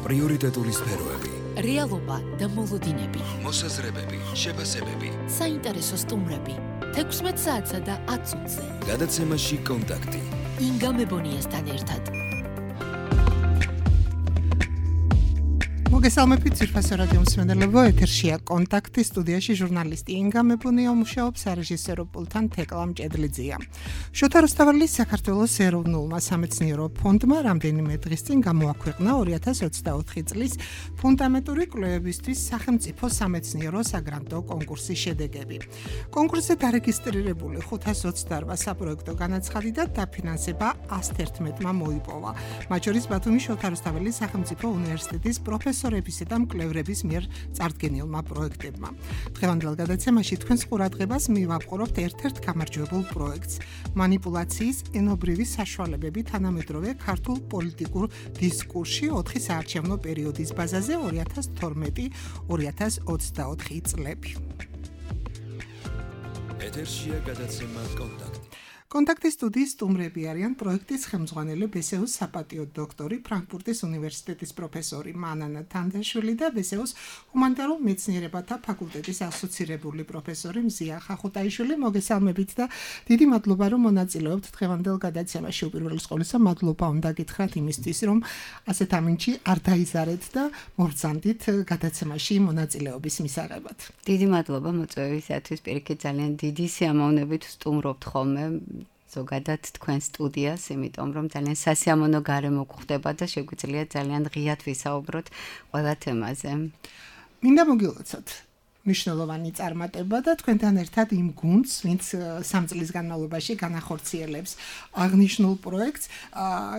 პრიორიტეტული სფეროები, რეალობა და მოლოდინები, მოსაზრებები, შეფასებები, საინტერესო სტუმრები, 16 საათსა და 10 წუთზე. გადაცემაში კონტაქტი. ინგა მებონიასთან ერთად. მოგესალმებით ძვირფასო რადიო მსმენელებო, ეთერშია კონტაქტი, სტუდიაში ჟურნალისტი ინგა მებონია მუშაობს, სარეჟისორო პულტთან თეკლა მჭედლიძეა. შოთა რუსთაველის საქართველოს ეროვნულმა სამეცნიერო ფონდმა რამდენიმე დღის წინ გამოაქვეყნა 2024 წლის ფუნდამენტური კვლევებისთვის სახელმწიფო სამეცნიერო საგრანტო კონკურსის შედეგები. კონკურსზე დარეგისტრირებული 528 საპროექტო განაცხადი და დაფინანსება 111-მა მოიპოვა. მათ შორის ბათუმის შოთა რუსთაველის სახელმწიფო უნივერსიტეტის პროფესორებისა და მკვლევრების მიერ წარდგენილმა პროექტებმა. დღევანდელ გადაცემაში თქვენს ყურადღებას მივაპყრობთ ერთ-ერთ გამარჯვებულ პროექტს. მანიპულაციის ენობრივი საშუალებები თანამედროვე ქართულ პოლიტიკურ დისკურსში 4 საარჩევნო პერიოდის ბაზაზე 2012-2024 წლები. ეთერშია გადაცემა კონტაქტი. კონტაქტის სტუდიის სტუმრები არიან პროექტის ხელმძღვანელი ბესეუს საპატიო დოქტორი, ფრანკფურტის უნივერსიტეტის პროფესორი მანანა თანდაშვილი და ბესეუს ჰუმანიტარულ მეცნიერებათა ფაკულტეტის ასოცირებული პროფესორი მზია ხახუტაიშვილი. მოგესალმებით და დიდი მადლობა რომ მონაწილეობთ დღევანდელ გადაცემაში. უპირველეს ყოვლისა მადლობა უნდა გითხრათ იმისთვის, რომ ასეთ ამინჩი არ დაიზარეთ და მობრძანდით გადაცემაში მონაწილეობის მისაღებად. დიდი მადლობა მოწვევისათვის, პირიქით ძალიან დიდი სიამოვნებით ვსტუმრობთ ხოლმე ზოგადად თქვენ სტუდიას, იმიტომ რომ ძალიან სასიამოვნო გარემო გვხდება და შეგვიძლია ძალიან ღიად ვისაუბროთ ყველა თემაზე. მინდა მოგილოცოთ მნიშვნელოვანი წარმატება და თქვენთან ერთად იმ გუნდს, ვინც 3 წლის განმავლობაში განახორციელებს აღნიშნულ პროექტს.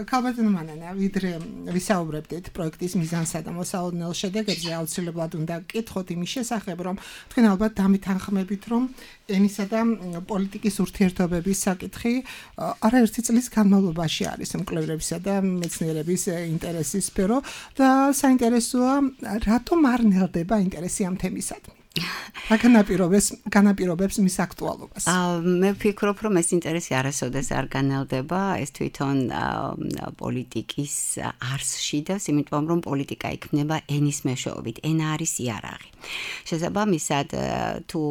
ქალბატონო მანანა, ვიდრე ვისაუბრებდით პროექტის მიზანსა და მოსალოდნელ შედეგებზე, აუცილებლად უნდა გკითხოთ იმის შესახებ, რომ თქვენ ალბათ დამითანხმებით, რომ ენისა და პოლიტიკის ურთიერთობების საკითხი არაერთი წლის განმავლობაში არის მკვლევრებისა და მეცნიერების ინტერესის სფერო და საინტერესოა, რატომ არ ნელდება ინტერესი ამ თემისადმი. განაპირობებს მის აქტუალობას. მე ვფიქრობ, რომ ეს ინტერესი არასოდეს არ განელდება, ეს თვითონ პოლიტიკის არსში და იმიტომ რომ პოლიტიკა იქნება ენის მეშვეობით, ენა არის იარაღი. შესაბამისად, თუ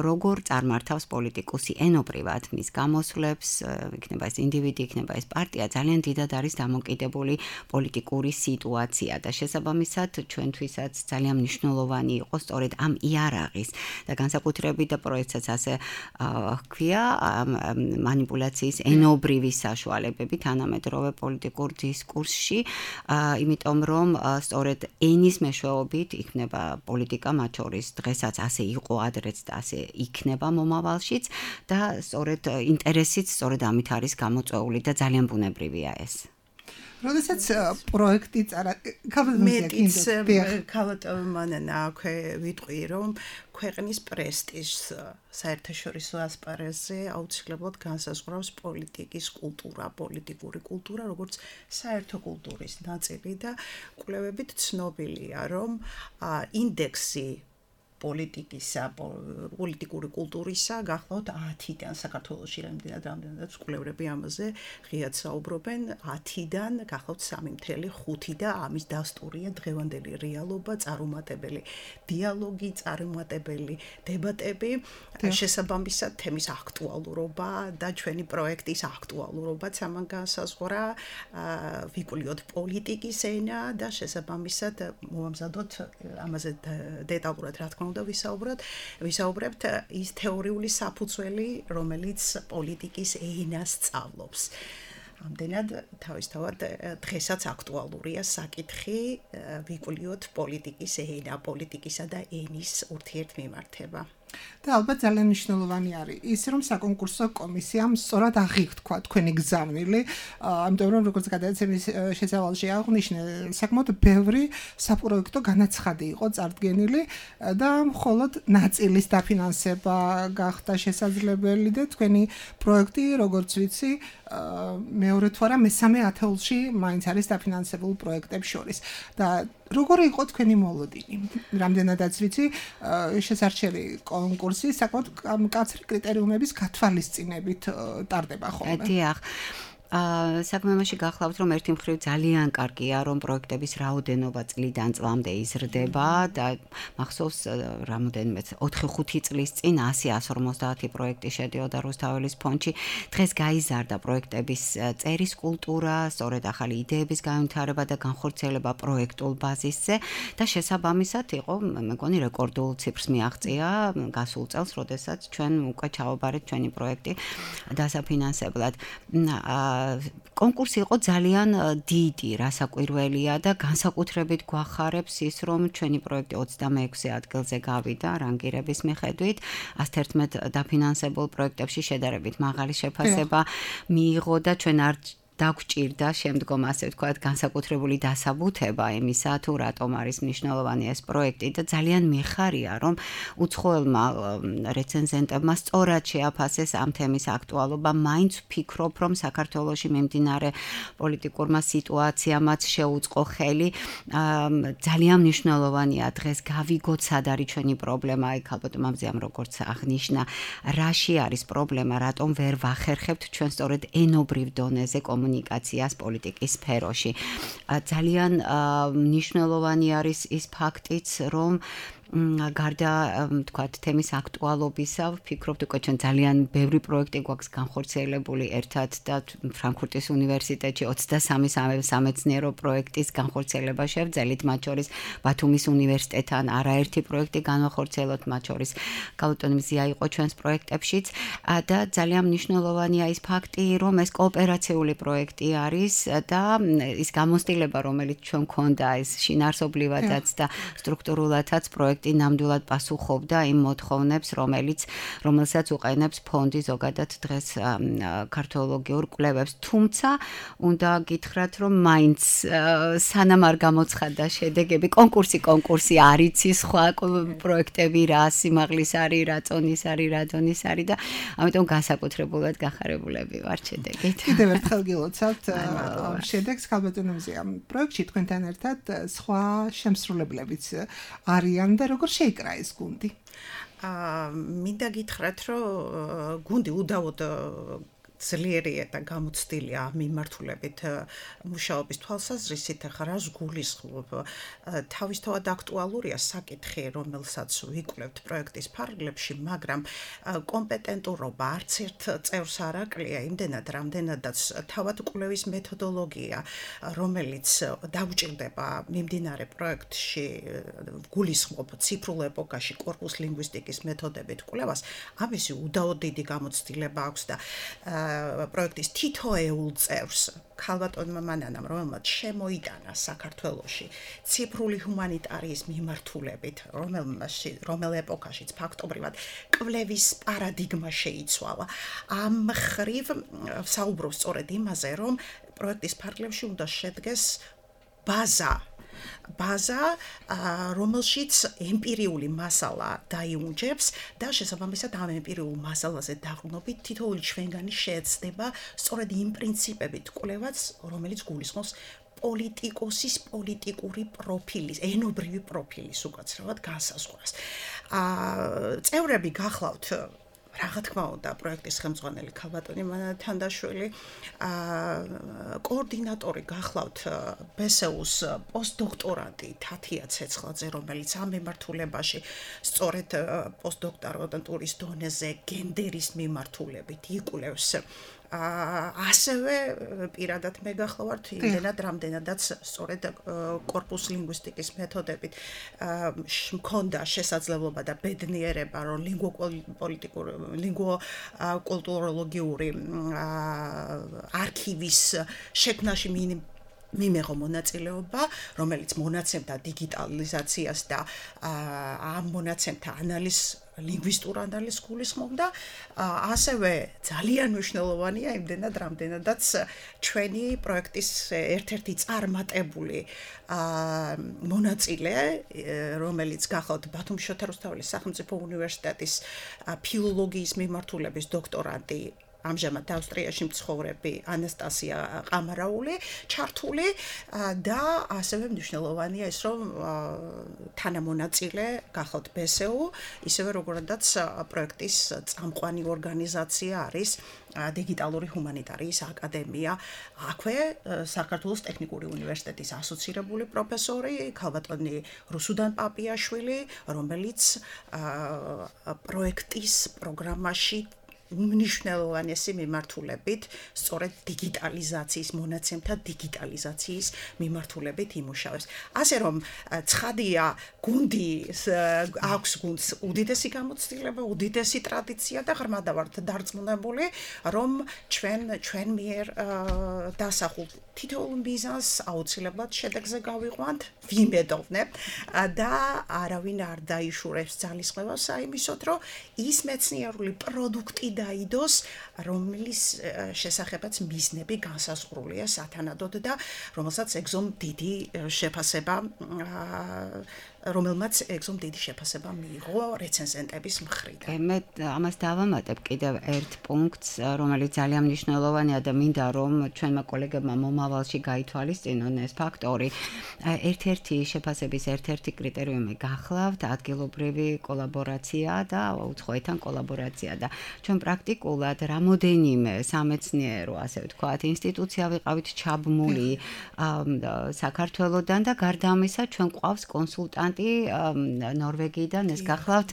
როგორ წარმართავს პოლიტიკუსი ენობრივად მის გამოსვლებს, იქნება ეს ინდივიდი, იქნება ეს პარტია, ძალიან დიდად არის დამოკიდებული პოლიტიკური სიტუაცია და შესაბამისად ჩვენთვისაც ძალიან მნიშვნელოვანი იყო სწორედ ამ იარაღის და განსაკუთრებით და პროექტსაც ასე ჰქვია მანიპულაციის ენობრივი საშუალებები თანამედროვე პოლიტიკურ დისკურსში, იმიტომ რომ სწორედ ენის მეშვეობით იქნება პოლიტიკა, მათ შორის დღესაც ასე იყო, ადრეც და ასე იქნება მომავალშიც და სწორედ ინტერესიც სწორედ ამით არის გამოწვეული და ძალიან ბუნებრივია ეს. როდესაც პროექტი ქალბატონო მანანა ვიტყვი, რომ ქვეყნის პრესტიჟს საერთაშორისო ასპარეზზე აუცილებლად განსაზღვრავს პოლიტიკის კულტურა, პოლიტიკური კულტურა, როგორც საერთო კულტურის ნაწილი და კვლევებით ცნობილია, რომ ინდექსი პოლიტიკური კულტურისა გახლავთ 10-დან საქართველოში რამდენადაც კვლევრები ამაზე ღიად საუბრობენ 10-დან გახლავთ 3.5 და ამის დასტურია დღევანდელი რეალობა, წარუმატებელი დიალოგი, წარუმატებელი დებატები, შესაბამისად თემის აქტუალურობა და ჩვენი პროექტის აქტუალურობაც ამან განსაზღვრა, ვიკვლიოთ პოლიტიკის ენა და შესაბამისად მოვამზადოთ ამაზე დეტალურად რა თქმა უნდა ვისაუბრებთ ის თეორიული საფუძველი, რომელიც პოლიტიკის ენას სწავლობს. ამდენად თავისთავად დღესაც აქტუალურია საკითხი ვიკვლიოთ პოლიტიკის ენა, პოლიტიკისა და ენის ურთიერთმიმართება. და ალბათ ძალიან მნიშვნელოვანი არის ის, რომ საკონკურსო კომისიამ სწორად აღიქვა თქვენი გზავნილი, ამიტომ რომ როგორც გადაცემის შესავალში აღნიშნე, საკმაოდ ბევრი საპროექტო განაცხადი იყო წარდგენილი და მხოლოდ ნაწილის დაფინანსება გახდა შესაძლებელი და თქვენი პროექტი, როგორც ვიცი, მეორე თუ არა მესამე ათეულში მაინც არის დაფინანსებულ პროექტებს შორის და როგორი იყო თქვენი მოლოდინი? რამდენადაც ვიცი, შესარჩევი კონკურსი საკმაოდ მკაცრი კრიტერიუმების გათვალისწინებით ტარდება ხოლმე. დიახ. საქმე იმაში გახლავთ, რომ ერთი მხრივ ძალიან კარგია, რომ პროექტების რაოდენობა წლიდან წლამდე იზრდება და მახსოვს რამოდენიმე 4-5 წლის წინ 100-150 პროექტი შედიოდა რუსთაველის ფონდში. დღეს გაიზარდა პროექტების წერის კულტურა, სწორედ ახალი იდეების განვითარება და განხორციელება პროექტულ ბაზისზე და შესაბამისად იყო, მეგონი რეკორდულ ციფრს მიაღწია გასულ წელს, როდესაც ჩვენ უკვე ჩავაბარეთ ჩვენი პროექტი დასაფინანსებლად. კონკურსი იყო ძალიან დიდი, რასაკვირველია და განსაკუთრებით გვახარებს ის, რომ ჩვენი პროექტი 26 ადგილზე გავიდა რანგირების მიხედვით, 111 დაფინანსებულ პროექტებში შედარებით მაღალი შეფასება მიიღო და ჩვენ არ დაგვჭირდა შემდგომ ასე ვთქვათ განსაკუთრებული დასაბუთება იმისა თუ რატომ არის მნიშვნელოვანი ეს პროექტი და ძალიან მიხარია რომ უცხოელმა რეცენზენტებმა სწორად შეაფასეს ამ თემის აქტუალობა მაინც ვფიქრობ რომ საქართველოში მიმდინარე პოლიტიკურმა სიტუაციამაც შეუწყო ხელი ძალიან მნიშვნელოვანია დღეს გავიგოთ სად არის ჩვენი პრობლემა აი ალბათ მამზიამ როგორც აღნიშნა რაში არის პრობლემა რატომ ვერ ვახერხებთ ჩვენ სწორედ ენობრივ დონეზე კომუნიკაციას პოლიტიკის სფეროში. ძალიან მნიშვნელოვანი არის ის ფაქტიც, რომ გარდა თქვათ თემის აქტუალობისა, ვფიქრობთ უკვე ჩვენ ძალიან ბევრი პროექტი გვაქვს განხორციელებული ერთად და ფრანკფურტის უნივერსიტეტში 23 სამეცნიერო პროექტის განხორციელება შევძელით, მათ შორის ბათუმის უნივერსიტეტთან არაერთი პროექტი განახორციელოთ, მათ შორის გალუტონი მზია იყო ჩვენს პროექტებშიც და ძალიან მნიშვნელოვანია ის ფაქტი, რომ ეს კოოპერაციული პროექტი არის და ის გამოცდილება, რომელიც ჩვენ გქონდა, ის შინაარსობრივადაც და სტრუქტურულადაც პროექტი ნამდვილად პასუხობდა იმ მოთხოვნებს, რომელსაც უყენებს ფონდი ზოგადად დღეს ქართოლოგიურ კვლევებს. თუმცა უნდა გითხრათ, რომ მაინც სანამ არ გამოცხადდა შედეგები, კონკურსი არ იცის სხვა პროექტები რა სიმაღლის არის, რა წონის არის, რა დონის არის და ამიტომ განსაკუთრებულად გახარებულები ვართ შედეგით. კიდევ ერთხელ გილოცავთ შედეგს ქალბატონო მზია. პროექტში თქვენთან ერთად სხვა შემსრულებლებიც არიან და როგორ შეიკრა ეს გუნდი? მინდა გითხრათ, რომ გუნდი უდავოდ ძლიერია და გამოცდილია მიმართულებით მუშაობის თვალსაზრისით, ახლა რას გულისხმობ? თავისთავად აქტუალურია საკითხი, რომელსაც ვიკვლევთ პროექტის ფარგლებში, მაგრამ კომპეტენტურობა არც ერთ წევრს არ აკლია, იმდენად, რამდენადაც თავად კვლევის მეთოდოლოგია, რომელიც დაუჭირდება მიმდინარე პროექტში გულისხმობ ციფრულ ეპოქაში კორპუს ლინგვისტიკის მეთოდებით კვლევას, ამისი უდაოდ დიდი გამოცდილება აქვს და პროექტის თითოეულ წევრს ქალბატონმა მანანამ, რომელმაც შემოიტანა საქართველოში ციფრული ჰუმანიტარიის მიმართულებით, რომელ ეპოქაშიც ფაქტობრივად კვლევის პარადიგმა შეიცვალა. ამ მხრივ საუბრობ სწორედ იმაზე, რომ პროექტის ფარგლებში უნდა შედგეს ბაზა, რომელშიც ემპირიული მასალა დაიუნჯებს და შესაბამისად ამ ემპირიულ მასალაზე დაყრდნობით თითოეული ჩვენგანი შეეცდება სწორედ იმ პრინციპებით კვლევაც, რომელიც გულისხმობს პოლიტიკოსის პოლიტიკური პროფილის, ენობრივი პროფილის უკაცრავად განსაზღვრას. წევრები გახლავთ რა თქმა უნდა, პროექტის ხელმძღვანელი ქალბატონი მანანა თანდაშვილი, კოორდინატორი გახლავთ ბესეუს პოსტდოქტორანტი თათია ცეცხლაძე, რომელიც ამ მიმართულებაში სწორედ პოსტდოქტორანტურის დონეზე გენდერის მიმართულებით იკვლევს. ასევე პირადად მე გახლავართ იმდენად რამდენადაც სწორედ კორპუს ლინგვისტიკის მეთოდებით მქონდა შესაძლებლობა და ბედნიერება რომ ლინგვო-კულტუროლოგიური არქივის შექმნაში მიმეღო მონაწილეობა, რომელიც მონაცემთა დიგიტალიზაციას და ამ მონაცემთა ანალიზს ლინგვისტურ ანალიზს გულისხმობდა, ასევე ძალიან მნიშვნელოვანია იმდენად, რამდენადაც ჩვენი პროექტის ერთ-ერთი წარმატებული მონაწილე, რომელიც გახლავთ ბათუმის შოთა რუსთაველის სახელმწიფო უნივერსიტეტის ფილოლოგიის მიმართულების დოქტორანტი ამჟამად ავსტრიაში მცხოვრები ანასტასია ყამარაული ჩართული და ასევე მნიშვნელოვანია ის რომ თანამონაწილე გახავთ BSU ისევე როგორადაც პროექტის წამყვანი ორგანიზაცია არის დიგიტალური ჰუმანიტარიის აკადემია აქვე საქართველოს ტექნიკური უნივერსიტეტის ასოცირებული პროფესორი ქალბატონი რუსუდან პაპიაშვილი რომელიც პროექტის პროგრამაში უმნიშვნელოვანესი მიმართულებით სწორედ დიგიტალიზაციის მონაცემთა დიგიტალიზაციის მიმართულებით იმუშავებს. ასე რომ ცხადია გუნდი აქვს გუნდს უდიდესი გამოცდილება, უდიდესი ტრადიცია და ღრმად ვართ დარწმუნებული რომ ჩვენ მიერ დასახულ თითოეულ მიზანს აუცილებლად შედეგზე გავიყვანთ, ვიმედოვნებ და არავინ არ დაიშურებს ძალისხმევას აიმისოთ რომ ის მეცნიერული პროდუქტი დაიდოს, რომლის შესახებაც მიზნები განსაზღვრულია სათანადოდ და რომელსაც ეგზომ დიდი შეფასება რომელმაც ეგზომ დიდი შეფასება მიიღო რეცენზენტების მხრიდან. მე ამას დავამატებ კიდევ ერთ პუნქტს, რომელიც ძალიან მნიშვნელოვანია და მინდა რომ ჩვენმა კოლეგებმა მომავალში გაითვალისწინონ ეს ფაქტორი. ერთ-ერთი შეფასების ერთ-ერთი კრიტერიუმი გახლავთ ადგილობრივი კოლაბორაცია და უცხოეთთან კოლაბორაცია და ჩვენ პრაქტიკულად რამოდენიმე სამეცნიერო, ასე ვთქვათ, ინსტიტუცია ვიყავით ჩაბმული საქართველოდან და გარდა ამისა ჩვენ ყავს კონსულტანტი ნორვეგიიდან ეს გახლავთ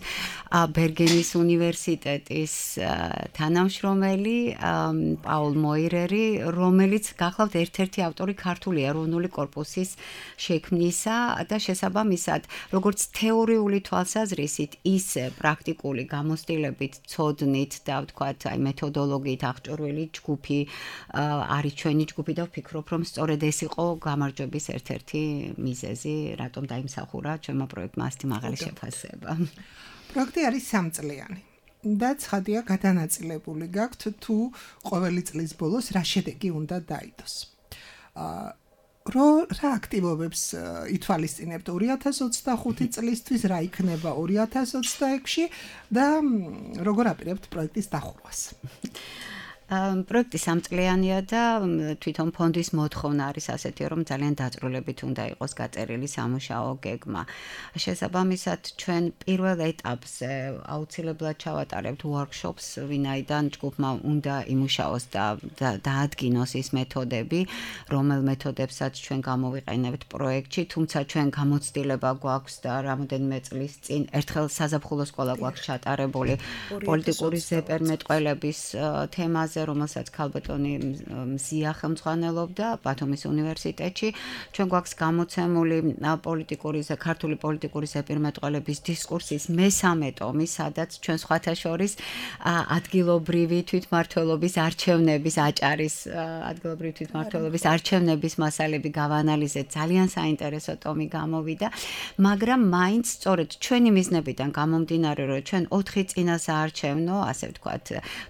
ბერგენის უნივერსიტეტის თანამშრომელი პაულ მოირერი, რომელიც გახლავთ ერთ-ერთი ავტორი ქართული ეროვნული კორპუსის შექმნისა და შესაბამისად, როგორც თეორიული თვალსაზრისით, ისე პრაქტიკული გამოცდილებით, ცოდნით და ვთქვათ, აი მეთოდოლოგიით აღჭურვილი ჯგუფი არის ჩვენი ჯგუფი და ვფიქრობ, რომ სწორედ ეს იყო გამარჯვების ერთ-ერთი მიზეზი, რატომ დაიმსახურა ჩვენმა პროექტმა ასეთი მაღალი შეფასება. პროექტი არის 3 წლიანი და ცხადია გადანაწილებული გაქვთ თუ ყოველი წლის ბოლოს რა შედეგი უნდა დაიდოს. რა აქტივობებს ითვალისწინებთ 2025 წლისთვის, რა იქნება 2026-ში და როგორ აპირებთ პროექტის დახურვას? პროექტი 3 წლიანია და თვითონ ფონდის მოთხოვნა არის ასეთი, რომ ძალიან დაწვრილებით უნდა იყოს გაწერილი სამუშაო გეგმა. შესაბამისად, ჩვენ პირველ ეტაპზე აუცილებლად ჩავატარებთ workshops, ვინაიდან ჯგუფმა უნდა იმუშაოს და დაადგინოს ის მეთოდები, რომელ მეთოდებსაც ჩვენ გამოვიყენებთ პროექტში, თუმცა ჩვენ გამოცდილება გვაქვს და რამოდენიმე წლის წინ ერთხელ საზაფხულო სკოლა გვაქვს ჩატარებული პოლიტიკური ზეპირმეტყველების თემაზე რომელსაც ქალბატონი მზია ხელმძღვანელობდა ბათუმის უნივერსიტეტში. ჩვენ გვაქვს გამოცემული ქართული პოლიტიკური ზეპირმეტყველების დისკურსის მესამე ტომი, სადაც ჩვენ სხვათა შორის ადგილობრივი თვითმმართველობის არჩევნების აჭარის ადგილობრივი თვითმმართველობის არჩევნების მასალები გავანალიზეთ. ძალიან საინტერესო ტომი გამოვიდა, მაგრამ მაინც სწორედ ჩვენი მიზნებიდან გამომდინარე, რომ ჩვენ 4 წინასაარჩევნო, ასე ვთქვათ,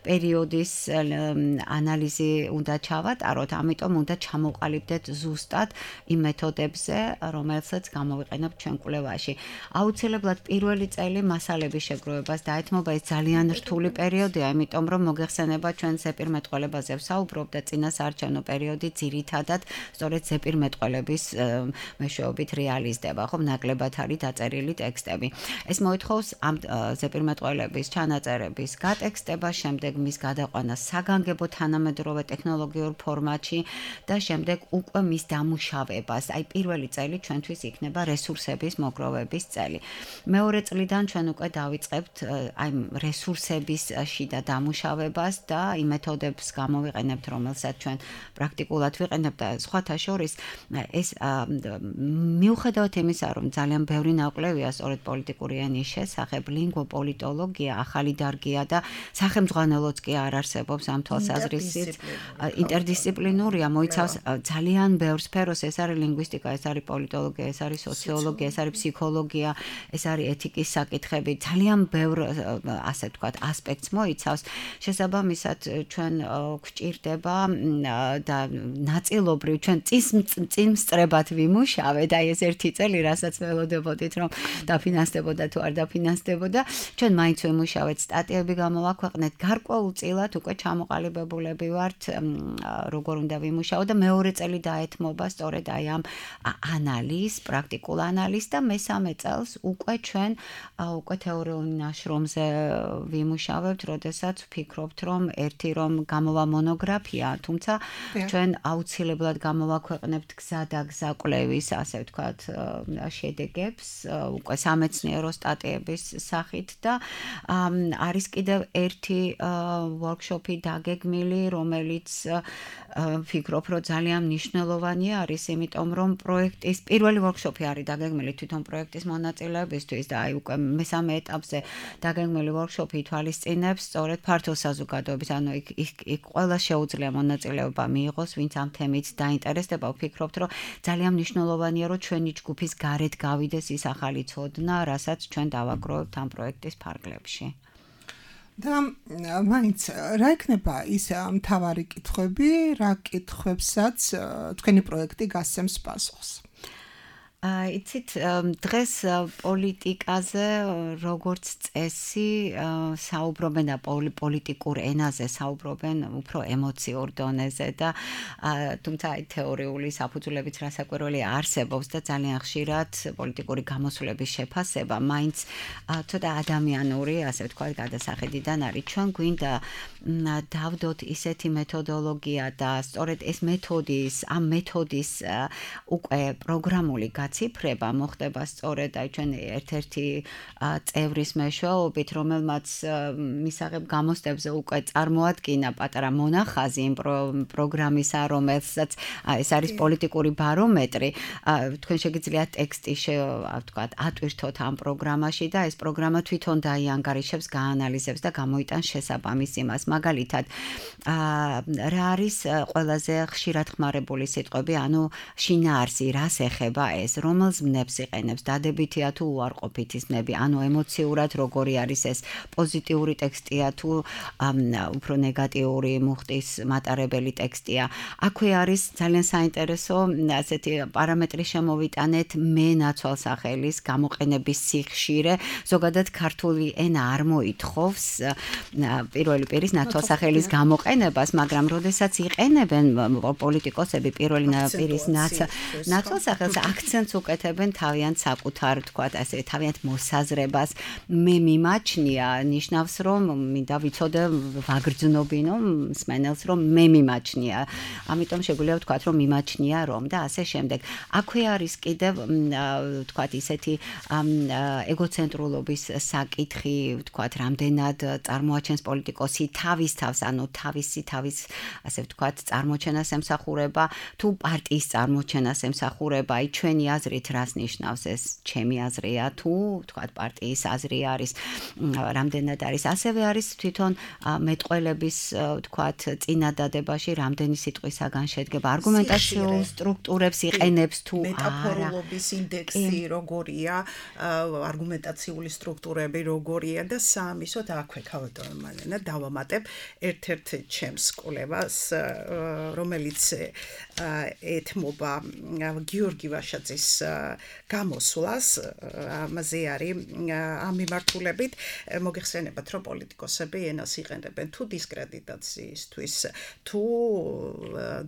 პერიოდის ანალიზი უნდა ჩავატაროთ, ამიტომ უნდა ჩამოყალიბდეთ ზუსტად იმ მეთოდებზე, რომელსაც გამოვიყენებთ ჩვენ კვლევაში. აუცილებლად პირველი წელი მასალების შეგროვებას დაეთმობა, ეს ძალიან რთული პერიოდია, იმიტომ რომ მოგეხსენება ჩვენ ზეპირმეტყველებაზე ვსაუბრობ და წინასაარჩევნო პერიოდი ძირითადად სწორედ ზეპირმეტყველების მეშვეობით რეალიზდება, ხო, ნაკლებად არის დაწერილი ტექსტები. ეს მოითხოვს ამ ზეპირმეტყველების ჩანაწერების გატექსტება, შემდეგ მის გადაყვანას საგანგებო თანამედროვე ტექნოლოგიურ ფორმატში და შემდეგ უკვე მის დამუშავებას. აი პირველი წელი ჩვენთვის იქნება რესურსების მოგროვების წელი. მეორე წლიდან ჩვენ უკვე დავიწყებთ აი რესურსების შიდა დამუშავებას და იმ მეთოდებს გამოვიყენებთ, რომელსაც ჩვენ პრაქტიკულად ვიყენებთ და სხვათა შორის ეს მიუხედავად იმისა, რომ ძალიან ბევრი ნაკლებია სწორედ პოლიტიკური ენის შესახებ, ლინგვოპოლიტოლოგია ახალი დარგია და სახელმძღვანელოც კი არ არსებობს ამ თვალსაზრისით. ინტერდისციპლინურია, მოიცავს ძალიან ბევრ სფეროს, ეს არის ლინგვისტიკა, ეს არის პოლიტოლოგია, ეს არის სოციოლოგია, ეს არის ფსიქოლოგია, ეს არის ეთიკის საკითხები, ძალიან ბევრ ასე ვთქვათ ასპექტს მოიცავს. შესაბამისად, ჩვენ გვჭირდება და ნაწილობრივ ჩვენ წინსწრებად ვიმუშავეთ, აი ეს ერთი წელი, რასაც ველოდებოდით, რომ დაფინანსდებოდა თუ არ დაფინანსდებოდა, ჩვენ მაინც ვიმუშავეთ, სტატიები გამოვაქვეყნეთ, გარკვეულწილად უკვე მოყალიბებულები ვართ, როგორ უნდა ვიმუშაო და მეორე წელი დაეთმობა სწორედ აი ამ ანალიზ, პრაქტიკულ ანალიზ და მესამე წელს უკვე ჩვენ უკვე თეორიული ნაშრომზე ვიმუშავებთ, როდესაც ვფიქრობთ, რომ ერთი რომ გამოვა მონოგრაფია, თუმცა ჩვენ აუცილებლად გამოვაქვეყნებთ გზა კვლევის, ასე ვთქვათ, შედეგებს, უკვე სამეცნიერო სტატიების სახით და არის კიდევ ერთი workshop-ი დაგეგმილი, რომელიც ვფიქრობ, რომ ძალიან მნიშვნელოვანი არის, იმიტომ რომ პროექტის პირველი workshop-ი არის დაგეგმილი თვითონ პროექტის მონაწილეებისთვის და აი უკვე მესამე ეტაპზე დაგეგმილი workshop-ი ითვალისწინებს სწორედ ფართო საზოგადოების, ანუ იქ ყველა შეუძლია მონაწილეობა მიიღოს, ვინც ამ თემით დაინტერესდება. ვფიქრობთ, რომ ძალიან მნიშვნელოვანია, რომ ჩვენი ჯგუფის გარეთ გავიდეს ის ახალი ცოდნა, რასაც ჩვენ დავაგროვებთ ამ პროექტის ფარგლებში. და მაინც რა იქნება ის მთავარი კითხვები, რა კითხვებსაც თქვენი პროექტი გასცემს პასუხს? იცით, დღეს პოლიტიკაზე როგორც წესი საუბრობენ და პოლიტიკურ ენაზე საუბრობენ უფრო ემოციურ დონეზე და თუმცა თეორიული საფუძვლებიც რასაკვირველია არსებობს და ძალიან ხშირად პოლიტიკური გამოსვლების შეფასება მაინც ცოტა ადამიანური, ასე ვთქვათ, გადასახედიდან არის. ჩვენ გვინდა დავდოთ ისეთი მეთოდოლოგია და სწორედ ეს ამ მეთოდის უკვე პროგრამული გაციფრება მოხდება სწორედ აი ჩვენ ერთ-ერთი წევრის მეშვეობით, რომელმაც მისაღებ გამოსტებზე უკვე წარმოადგინა პატარა მონახაზი იმ პროგრამისა, რომელსაც ეს არის პოლიტიკური ბარომეტრი. თქვენ შეგიძლიათ ტექსტი ვთქვათ, ატვირთოთ ამ პროგრამაში და ეს პროგრამა თვითონ დაიანგარიშებს, გაანალიზებს და გამოიტანს შესაბამის იმას. მაგალითად, რა არის ყველაზე ხშირად ხმარებული სიტყვები, ანუ შინაარსი, რას ეხება ეს, რომელს მნებს იყენებს, დადებითია თუ უარყოფითი მნები, ანუ ემოციურად როგორი არის ეს, პოზიტიური ტექსტია თუ უფრო ნეგატიური მუხტის მატარებელი ტექსტია. აქვე არის ძალიან საინტერესო ასეთი პარამეტრი შემოვიტანეთ მე ნაცვალსახელის გამოყენების სიხშირე, ზოგადად ქართული ენა არ მოითხოვს პირველი პირის ნაცვალსახელის გამოყენებას, მაგრამ როდესაც იყენებენ პოლიტიკოსები პირველი პირის ნაცვალსახელს აქცენტს უკეთებენ თავიანთ საკუთარ, თქვათ ასე, თავიანთ მოსაზრებას. მე მიმაჩნია, ნიშნავს, რომ მინდა ვიცოდე ვაგრძნობინო მსმენელს, რომ მე მიმაჩნია. ამიტომ შეგვიძლია ვთქვათ, რომ მიმაჩნია რომ და ასე შემდეგ. აქვე არის კიდევ ვთქვათ ისეთი ეგოცენტრულობის საკითხი, ვთქვათ, რამდენად წარმოაჩენს პოლიტიკოსი თავის თავს, ანუ თავის ასე ვთქვათ, წარმოჩენას ემსახურება, თუ პარტიის წარმოჩენას ემსახურება, აი ჩვენი აზრით რას ნიშნავს ეს, ჩემი აზრია, თუ ვთქვათ, პარტიის აზრი არის, რამდენად არის. ასევე არის თვითონ მეტყველების, ვთქვათ, წინადადებაში რამდენი სიტყვისაგან შედგება, არგუმენტაციულ სტრუქტურებს იყენებს თუ არა. მეტაფოროლოგიის ინდექსი როგორია, არგუმენტაციული სტრუქტურები როგორია და სამისოთ აქვე ქავატონმანა დავამატებ ერთ-ერთ ჩემს კვლევას, რომელიც ეთმობა გიორგი ვაშაძის გამოსვლას, ამაზე არის ამ მიმართულებით მოგეხსენებათ, რომ პოლიტიკოსები ენას იყენებენ თუ დისკრედიტაციისთვის, თუ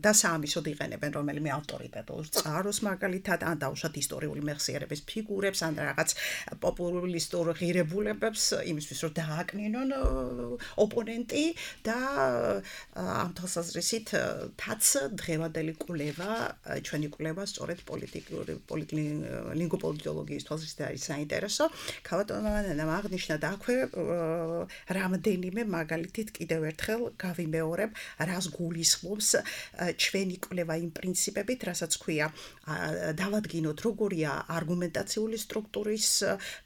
დასაამისოდ იყენებენ რომელიმე ავტორიტეტულ წყაროს, მაგალითად, ან დაუშვათ ისტორიული მეხსიერების ფიგურებს, ან რაღაც პოპულისტურ ღირებულებებს, იმისთვის რომ დააკნინონ ოპონენტი და ამ თვალსაზრისით თაც დღევანდელი კვლევა, ჩვენი კვლევა სწორედ ლინგვოპოლიტოლოგიის თვალსაზრისით არის საინტერესო. ქავატონმანამ აღნიშნა და აქვე რამდენიმე მაგალითით კიდევ ერთხელ გავიმეორებ, რას გულისხმობს ჩვენი კვლევა იმ პრინციპებით, რასაც ქვია, დავადგინოთ როგორია არგუმენტაციული სტრუქტურის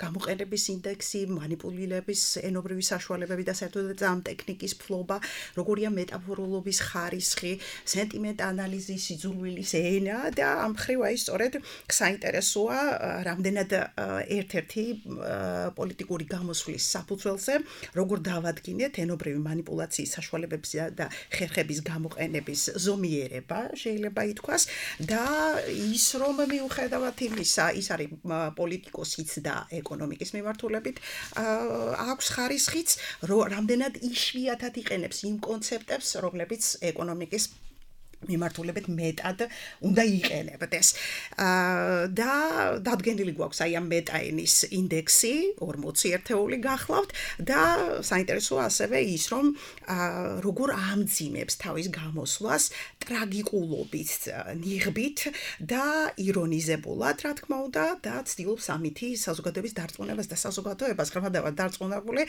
გამოყენების ინდექსი, მანიპულირების ენობრივი საშუალებები და საერთოდ ამ ტექნიკის ფლობა, როგორია მეტაფოროლოგიის ხარისხი, სენტიმენტ ანალიზის, სიძულვილის ენა და ამ მხრივ აი სწორედ საინტერესოა რამდენად ერთ-ერთი პოლიტიკური გამოსვლის საფუძველზე როგორ დავადგინეთ ენობრივი მანიპულაციის საშუალებების და ხერხების გამოყენების ზომიერება შეიძლება ითქვას და ის რომ მიუხედავად იმისა ის არის პოლიტიკოსიც და ეკონომიკის მიმართულებით აქვს ხარისხიც რამდენად იშვიათად იყენებს იმ კონცეპტებს რომლებიც ეკონომიკის მიმართულებით მეტად უნდა იყენებდეს. და დადგენილი გვაქვს აი ამ მეტაენის ინდექსი 40 ერთეული გახლავთ და საინტერესოა ასევე ის რომ როგორ ამძიმებს თავის გამოსვლას ტრაგიკულობით, ნიღბით და ირონიზებულად, რა თქმა უნდა, და ცდილობს ამითი საზოგადოების დარწმუნებას და საზოგადოებას ღრმადადად დარწმუნებული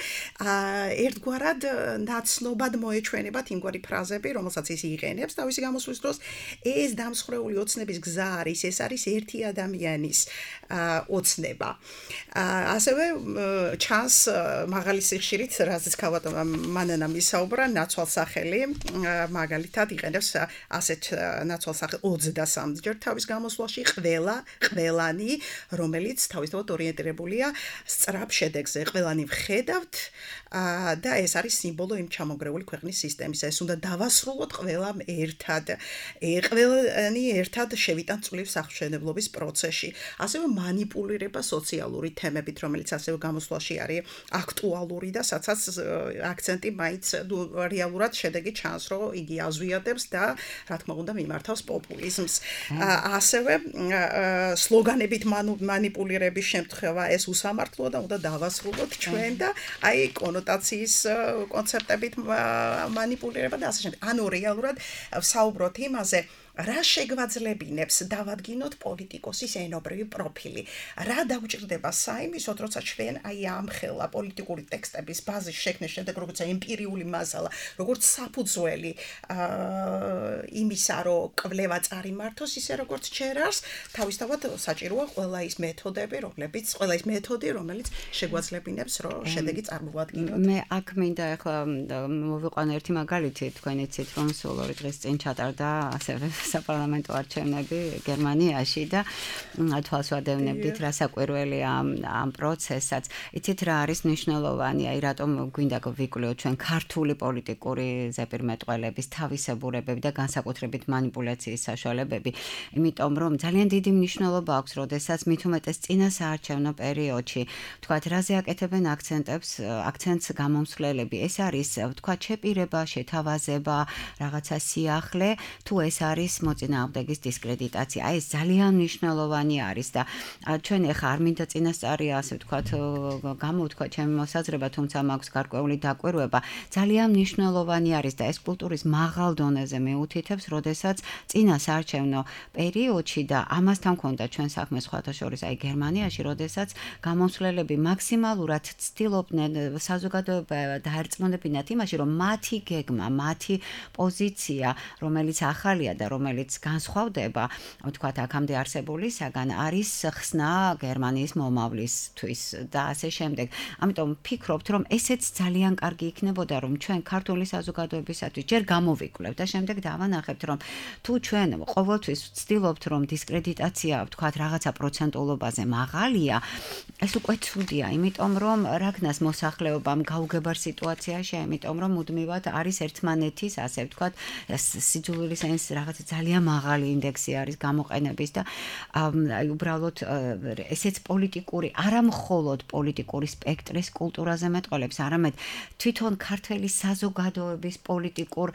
ერთგვარად ნაცნობად მოეჩვენებათ იმგვარი ფრაზები, რომელსაც ის იყენებს თავისი გამოსვლის დროს, ეს დამსხვრეული ოცნების გზა არის, ეს არის ერთი ადამიანის ოცნება. ასევე ჩანს მაღალი სიხშირით, რაზეც ქალბატონმა მანანამ ისაუბრა, ნაცვალსახელი, მაგალითად იყენებს ასეთ ნაცვალსახელს 23 ჯერ თავის გამოსვლაში ყველანი, რომელიც თავისთავად ორიენტირებულია სწრაფ შედეგზე. ყველანი ვხედავთ და ეს არის სიმბოლო იმ ჩამოგრეული ქვეყნის სისტემისა. ეს უნდა დავასრულოთ ყველამ ერთად. ყველანი ერთად შევიტან წვლილს აღმშენებლობის პროცესში. ასევე მანიპულირება სოციალური თემებით, რომელიც ასევე გამოსვლაში არის აქტუალური და სადაც აქცენტი მაინც რეალურად შედეგი ჩანს, რომ იგი აზვიადებს და რა თქმა უნდა მიმართავს პოპულიზმს. ასევე სლოგანებით მანიპულირების შემთხვევა ეს უსამართლოა და უნდა დავასრულოთ ჩვენ და აი კონოტაციის კონცეპტებით მანიპულირება და ასე შემდეგ. ანუ რეალურად საუბრობთ იმაზე რა შეგვაძლებინებს დავადგინოთ პოლიტიკოსის ენობრივი პროფილი. რა დაგვჭირდება საიმისოდ, როცა ჩვენ აი ამ ხელა პოლიტიკური ტექსტების ბაზის შექმნის შემდეგ, როგორც ემპირიული მასალა, როგორც საფუძველი იმისა, რომ კვლევა წარიმართოს, ისე როგორც ჩერარს, თავისთავად საჭიროა ყველა ის მეთოდები, რომელიც შეგვაძლებინებს, რომ შედეგი წარმოვადგინოთ. მე აქ მინდა ახლა მოვიყვანო ერთი მაგალითი, თქვენ იცით, რომ სულ 2 დღის წინ ჩატარდა ასევე საპარლამენტო არჩევნები გერმანიაში და თვალს ვადევნებდით რა საკვირველია ამ პროცესსაც. იცით რა არის მნიშვნელოვანი, აი რატომ გვინდა ვიკვლიოთ ჩვენ ქართული პოლიტიკური ზეპირმეტყველების თავისებურებები და განსაკუთრებით მანიპულაციის საშუალებები, იმიტომ რომ ძალიან დიდი მნიშვნელობა აქვს, როდესაც მით უმეტეს წინა საარჩევნო პერიოდში, თქვათ, რაზე აკეთებენ აქცენტს გამომსვლელები. ეს არის, თქვათ, შეპირება, შეთავაზება, რაღაცა სიახლე, თუ ეს არის მოწინააღმდეგის დისკრედიტაცია. აი ეს ძალიან მნიშვნელოვანი არის და ჩვენ ახლა არ მინდა წინასწარი ასე ვთქვათ გამოვთქვა ჩემი მოსაზრება, თუმცა მაქვს გარკვეული დაკვირვება. ძალიან მნიშვნელოვანი არის და ეს კულტურის მაღალ დონეზე მეუთითებს, როდესაც წინა საარჩევნო პერიოდში და ამასთან მქონდა ჩვენ საქმე სხვათა შორის აი გერმანიაში, როდესაც გამომსვლელები მაქსიმალურად ცდილობდნენ საზოგადოება დაერწმუნებინათ იმაში, რომ მათი გეგმა, მათი პოზიცია, რომელიც ახალია და რომელიც განსხვავდება, ვთქვათ, აქამდე არსებულისაგან, არის ხსნა გერმანიის მომავლისთვის და ასე შემდეგ. ამიტომ ვფიქრობთ, რომ ესეც ძალიან კარგი იქნებოდა, რომ ჩვენ ქართული საზოგადოებისათვის ჯერ გამოვიკვლევთ და შემდეგ დავანახებთ, რომ თუ ჩვენ ყოველთვის ვცდილობთ, რომ დისკრედიტაცია, ვთქვათ, რაღაცა პროცენტულობაზე მაღალია, ეს უკვე ცუდია, იმიტომ რომ რაგნას მოსახლეობამ გაუგებარ სიტუაციაში, იმიტომ რომ მუდმივად არის ერთმანეთის, ასე ვთქვათ, სიძულვილის ენის რაღაცა ძალიან მაღალი ინდექსი არის გამოყენების და აი უბრალოდ ესეც პოლიტიკური, არა მხოლოდ პოლიტიკური სპექტრის კულტურაზე მეტყოლებს, არამედ თვითონ ქართული საზოგადოების პოლიტიკურ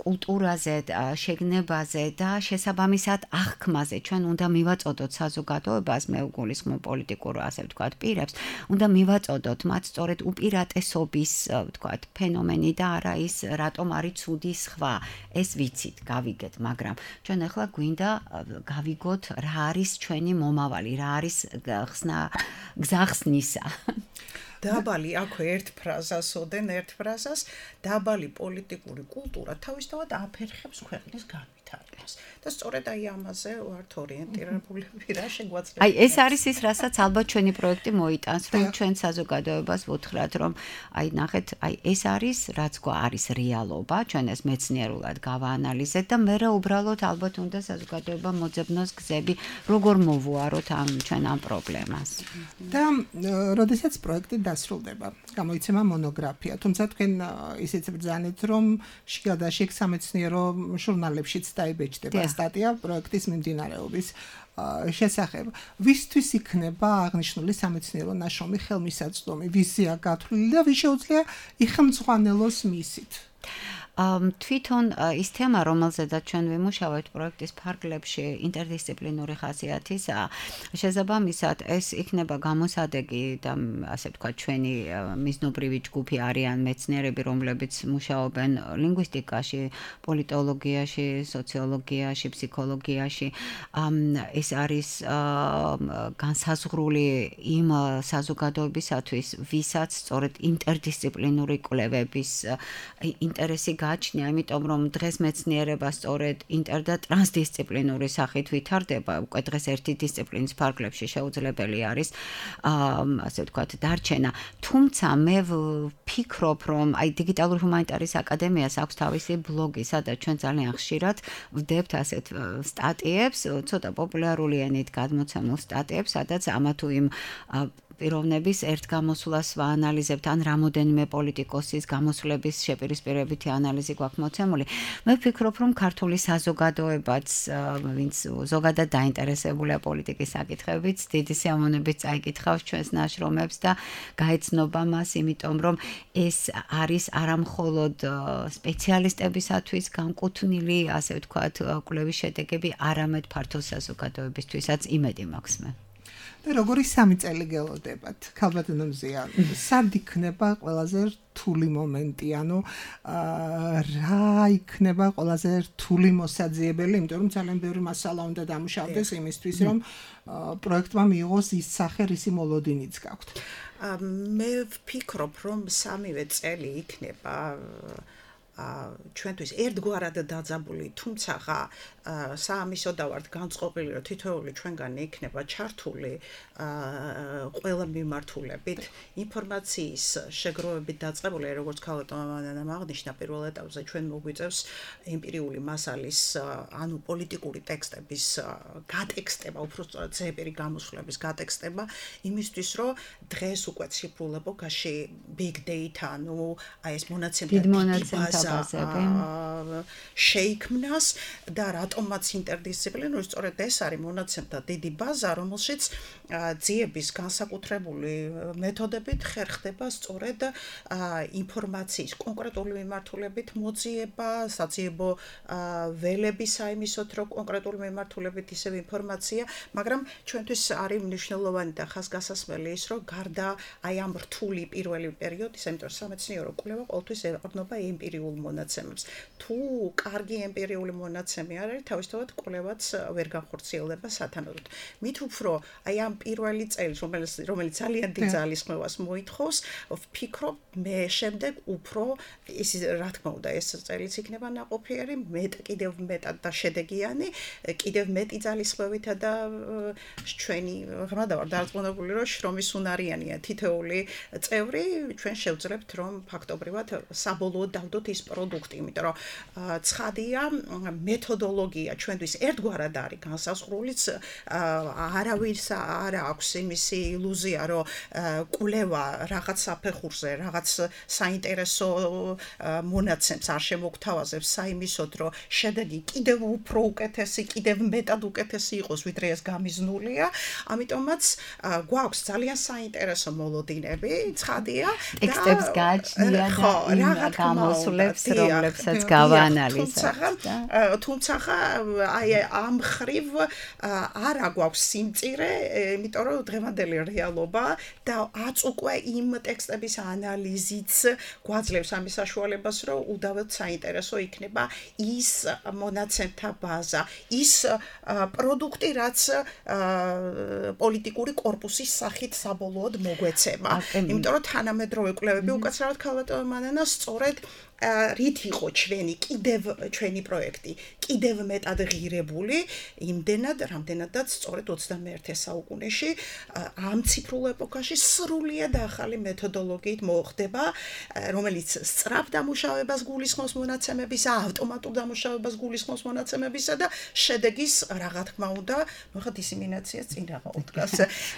კულტურაზე, შეგნებაზე და შესაბამისად აღქმაზე. ჩვენ უნდა მივაწოდოთ საზოგადოებას, მე უგულისხმობ პოლიტიკურ, ასე ვთქვათ, პირებს, უნდა მივაწოდოთ მათ სწორედ უპირატესობის, ვთქვათ, ფენომენი და არა ის რატომ არის ცუდი სხვა. ეს ვიცით, გავიგეთ, მაგრამ ჩვენ ახლა გვინდა გავიგოთ რა არის ჩვენი მომავალი, რა არის გზახსნისა. დაბალი აქვე ერთ ფრაზას ოდენ ერთ ფრაზას დაბალი პოლიტიკური კულტურა თავისთავად აფერხებს ქვეყნის განვითარებას. მოითხოვს. და სწორედ აი ამაზე ვართ ორიენტირებულები რა შეგვაძლია. აი ეს არის ის, რასაც ალბათ ჩვენი პროექტი მოიტანს, რომ ჩვენ საზოგადოებას ვუთხრათ, რომ აი ნახეთ, აი ეს არის, რაც არის რეალობა, ჩვენ ეს მეცნიერულად გავაანალიზეთ და მე უბრალოდ ალბათ უნდა საზოგადოება მოძებნოს გზები, როგორ მოვუაროთ ჩვენ ამ პრობლემას. და როდესაც პროექტი დასრულდება, გამოიცემა მონოგრაფია, თუმცა თქვენ ისიც ბრძანეთ, რომ შიგადაშიგ სამეცნიერო ჟურნალებშიც დაიბეჭდება სტატია პროექტის მიმდინარეობის შესახებ. ვისთვის იქნება აღნიშნული სამეცნიერო ნაშრომი ხელმისაწვდომი, ვიზია გათვლილი და ვის შეუძლია იხმძღვანელოს მისით? თვითონ ის თემა, რომელზედაც ჩვენ ვიმუშავებთ პროექტის ფარგლებში, ინტერდისციპლინური ხასიათისაა. შესაბამისად, ეს იქნება გამოსადეგი და ასე ვთქვათ, ჩვენი მიზნობრივი ჯგუფი არიან მეცნიერები, რომლებიც მუშაობენ ლინგვისტიკაში, პოლიტოლოგიაში, სოციოლოგიაში, ფსიქოლოგიაში. ეს არის განსაზღვრული იმ საზოგადოებისათვის, ვისაც სწორედ ინტერდისციპლინური კვლევების ინტერესი გააჩნია, იმიტომ რომ დღეს მეცნიერება სწორედ ინტერ და ტრანსდისციპლინური სახით ვითარდება, უკვე დღეს ერთი დისციპლინის ფარგლებში შეუძლებელი არის ასე ვთქვათ დარჩენა. თუმცა მე ვფიქრობ, რომ აი დიგიტალური ჰუმანიტარის აკადემიას აქვს თავისი ბლოგი, სადაც ჩვენ ძალიან ხშირად ვდებთ ასეთ სტატიებს, ცოტა პოპულარული ენით გადმოცემულ სტატიებს, სადაც ამა თუ იმ პიროვნების ერთ გამოსვლას ვაანალიზებთ, ან რამოდენიმე პოლიტიკოსის გამოსვლების შეპირისპირებითი ანალიზი გვაქვს მოცემული. მე ვფიქრობ, რომ ქართული საზოგადოებაც, ვინც ზოგადად დაინტერესებულია პოლიტიკის საკითხებით, დიდი სიამოვნებით წაიკითხავს ჩვენს ნაშრომებს და გაეცნობა მას, იმიტომ რომ ეს არის არამხოლოდ სპეციალისტებისათვის განკუთვნილი, ასე ვთქვათ, კვლევის შედეგები, არამედ ფართო საზოგადოებისთვისაც იმედი მაქვს მე. და როგორი 3 წელი გელოდებათ? ქალბატონო მზია, სად იქნება ყველაზე რთული მომენტი, ანუ რა იქნება ყველაზე რთული მოსაძიებელი, იმიტომ რომ ძალიან ბევრი მასალა უნდა დამუშავდეს იმისთვის, რომ პროექტმა მიიღოს ის სახე, რისი მოლოდინიც გაქვთ. მე ვფიქრობ, რომ 3 წელი იქნება ჩვენთვის ერთგვარად დაძაბული, თუმცა საამისო და ვართ განწყობილი, რომ თითოეული ჩვენგანი იქნება ჩართული ყველა მიმართულებით, ინფორმაციის შეგროვებით დაწყებული, როგორც ქალბატონმა აღნიშნა პირველ ეტაპზე, ჩვენ მოგვიწევს ემპირიული მასალის, ანუ პოლიტიკური ტექსტების გატექსტება, უფრო სწორად ზეპირი გამოსვლების გატექსტება, იმისთვის, რომ დღეს უკვე ციფრულ ეპოქაში big data, ანუ აი ეს მონაცემთა შეიქმნას და რატომაც ინტერდისციპლინური, სწორედ ეს არის მონაცემთა დიდი ბაზა, რომელშიც ძიების განსაკუთრებული მეთოდებით ხერხდება სწორედ ინფორმაციის კონკრეტული მიმართულებით მოძიება, საძიებო ველების აიმისოთ, რომ კონკრეტული მიმართულებით ისევ ინფორმაცია, მაგრამ ჩვენთვის არის მნიშვნელოვანი და ხაზგასასმელი ის, რომ გარდა აი ამ რთული პირველი პერიოდის, ამიტომ სამეცნიერო კვლევა ყოველთვის ეყრდნობა ემპირიულ მონაცემებს. თუ კარგი ემპირიული მონაცემი არ არის, თავისთავად კვლევაც ვერ განხორციელდება სათანადოდ. მით უფრო აი ამ პირველი წელი, რომელიც ძალიან დიდ ძალისხმევას მოითხოვს, ვფიქრობ, მე შემდეგ უფრო ის რა თქმა უნდა ეს წელიც იქნება ნაყოფიერი, კიდევ მეტად და შედეგიანი, კიდევ მეტი ძალისხმევითა და ჩვენი ღრმა და ვარ დარწმუნებული, რომ შრომის უნარიანია თითოეული წევრი, ჩვენ შევძლებთ, რომ ფაქტობრივად საბოლოოდ დავდოთ ის პროდუქტი, იმიტომ რომ ცხადია მეთოდოლოგია ჩვენთვის ერთგვარად არის განსაზღვრულიც, არავის არ აქვს იმისი ილუზია, რომ კვლევა რაღაც საფეხურზე, რაღაც საინტერესო მონაცემს არ შემოგთავაზებს საიმისოდ, რომ შედეგი კიდევ უფრო უკეთესი, კიდევ მეტად უკეთესი იყოს, ვიდრე ეს გამიზნულია. ამიტომაც გვაქვს ძალიან საინტერესო მოლოდინები, ცხადია და ტექსტებს გააჩნია და გამოსვლებს, რომლებსაც გავაანალიზებთ. თუმცა აი ამ ხრივ არა გვაქვს სიმწირე, იმიტომ რომ დღევანდელი რეალობა და უკვე იმ ტექსტების ანალიზიც გვაძლევს ამის საშუალებას, რომ უდავოდ საინტერესო იქნება ის მონაცემთა ბაზა, ის პროდუქტი, რაც პოლიტიკური კორპუსის სახით საბოლოოდ მოგვეცემა. იმიტომ რომ თანამედროვე კვლევები უკაცრავად ქალბატონმა მანანას სწორედ რით იყო ჩვენი პროექტი კიდევ მეტად ღირებული იმდენად რამდენადაც სწორედ 21 საუკუნეში ამ ციფრულ ეპოქაში სრულიად ახალი მეთოდოლოგიით მოხდება რომელიც სწრაფ დამუშავებას გულისხმობს მონაცემებისა ავტომატურ დამუშავებას გულისხმობს მონაცემებისა და შედეგის რა თქმა უნდა მოხდა დისემინაციას წინ რაღაც დგას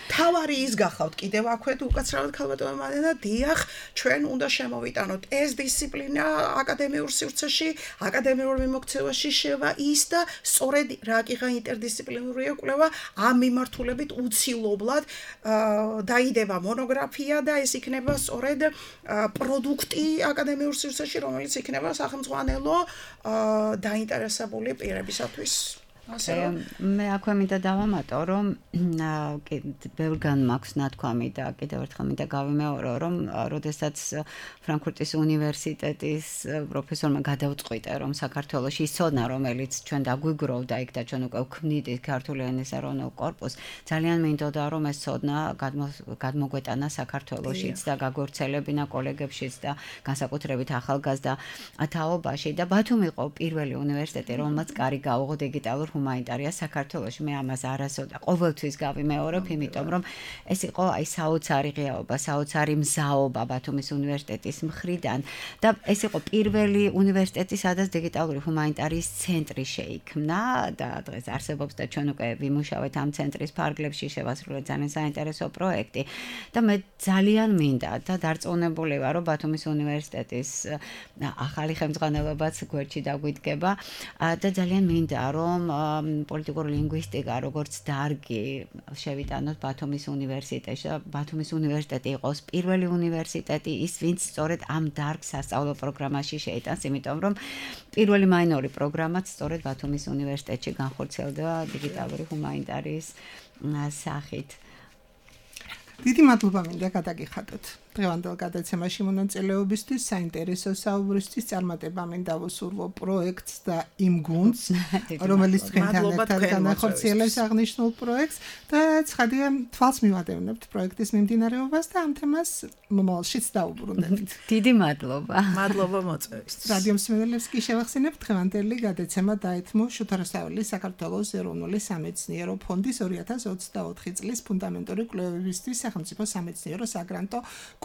თავარი ის გახავთ კიდევ აქვე უკაცრავად ქალბატონო მადენა დიახ ჩვენ უნდა შემოვიტანოთ ეს დისციპლინა აკადემიურ სივრცეში აკადემიურ მიმოქცევაში შევა ის და სწორედ რა კიღა ინტერდისციპლინარია კვლევა ამ მიმართულებით უცილობლად დაიდება მონოგრაფია და ეს იქნება სწორედ პროდუქტი აკადემიურ სივრცეში რომელიც იქნება სახელმძღვანელო დაინტერესებული პირებისათვის მე აქვე მინდა დავამატო რომ ბევრგან მაქვს ნათქვამი და კიდევ ერთხელ მინდა გავიმეორო რომ როდესაც ფრანკფურტის უნივერსიტეტის პროფესორმა გადავწყვიტე რომ საქართველოში ის ცოდნა რომელიც ჩვენ დაგვიგროვდა იქ და ჩვენ უკვე ვქმნიდით ქართული ენის ეროვნულ კორპუსს ძალიან მინდოდა რომ ეს ცოდნა გადმოგვეტანა საქართველოშიც და გაგვორცელებინა კოლეგებშიც და განსაკუთრებით ახალგაზრდა თაობაში და ბათუმი იყო პირველი უნივერსიტეტი რომელმაც კარი გაუღო დიგიტალურ ჰუმანიტარია საქართველოში მე ამას არასოდეს ყოველთვის გავიმეორებ იმიტომ რომ ეს იყო აი საოცარი ღიაობა საოცარი მზაობა ბათუმის უნივერსიტეტის მხრიდან და ეს იყო პირველი უნივერსიტეტი სადაც დიგიტალური ჰუმანიტარიის ცენტრი შეიქმნა და დღეს არსებობს და ჩვენ უკვე ვიმუშავეთ ამ ცენტრის ფარგლებში შევასრულეთ ძალიან საინტერესო პროექტი და მე ძალიან მინდა და დარწმუნებული ვარ რომ ბათუმის უნივერსიტეტის ახალი ხელმძღვანელობაც გვერდში დაგვიდგება და ძალიან მინდა რომ პოლიტიკური ლინგვისტიკა როგორც დარგი შევიტანოთ ბათუმის უნივერსიტეტში და ბათუმის უნივერსიტეტი იყოს პირველი უნივერსიტეტი ის ვინც სწორედ ამ დარგს სასწავლო პროგრამაში შეიტანს იმიტომ რომ პირველი მაინორი პროგრამაც სწორედ ბათუმის უნივერსიტეტში განხორციელდება დიგიტალური ჰუმანიტარიის სახით დიდი მადლობა მინდა გადაგიხადოთ დღევანდელ გადაცემაში მონაწილეობისთვის საინტერესო საუბრისთვის წარმატება მინდა ვუსურვო პროექტს და იმ გუნდს რომელიც თქვენთან ერთად განახორციელებს აღნიშნულ პროექტს და ცხადია თვალს მივადევნებთ პროექტის მიმდინარეობას და ამ თემას მომავალშიც დაუბრუნდებთ დიდი მადლობა მადლობა მოწვევისთვის რადიო მსმენელებს კი შევახსენებთ დღევანდელი გადაცემა დაეთმო შოთა რუსთაველის საქართველოს ეროვნული სამეცნიერო ფონდის 2024 წლის ფუნდამენტური კვლევებისთვის სახელმწიფო სამეცნიერო საგრანტო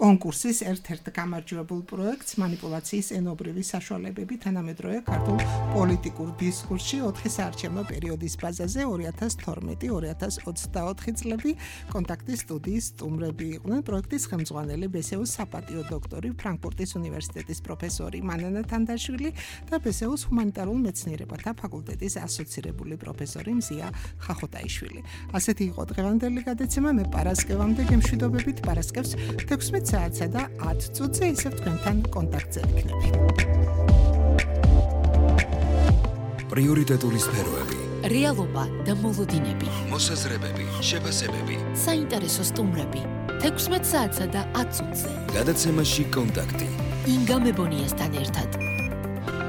კონკურსის ერთ-ერთ გამარჯვებულ პროექტს манипуляციის ენობრივი საშუალებები თანამედროვე ქართულ პოლიტიკურ დისკურსში 4 საარჩევნო პერიოდის ბაზაზე 2012-2024 წლები კონტაქტის სტუდიის სტუმრები იყვნენ პროექტის ხელმძღვანელი ბესეუს საპატიო დოქტორი ფრანკფურტის უნივერსიტეტის პროფესორი მანანა თანდაშვილი და ბესეუს ჰუმანიტარულ მეცნიერებათა ფაკულტეტის ასოცირებული პროფესორი მზია ხახოტაიშვილი ასეთი იყო დღევანდელი გადაცემა მე პარასკევამდე გემშვიდობებით პარასკევს 16 საათსა და 10 წუთზე ისევ თქვენთან კონტაქტზე ვიქნები. პრიორიტეტული სფეროები, რეალობა და მოლოდინები, მოსაზრებები, შეფასებები, საინტერესო სტუმრები, 16 საათსა და 10 წუთზე. გადაცემაში კონტაქტი. ინგა მებონიასთან ერთად.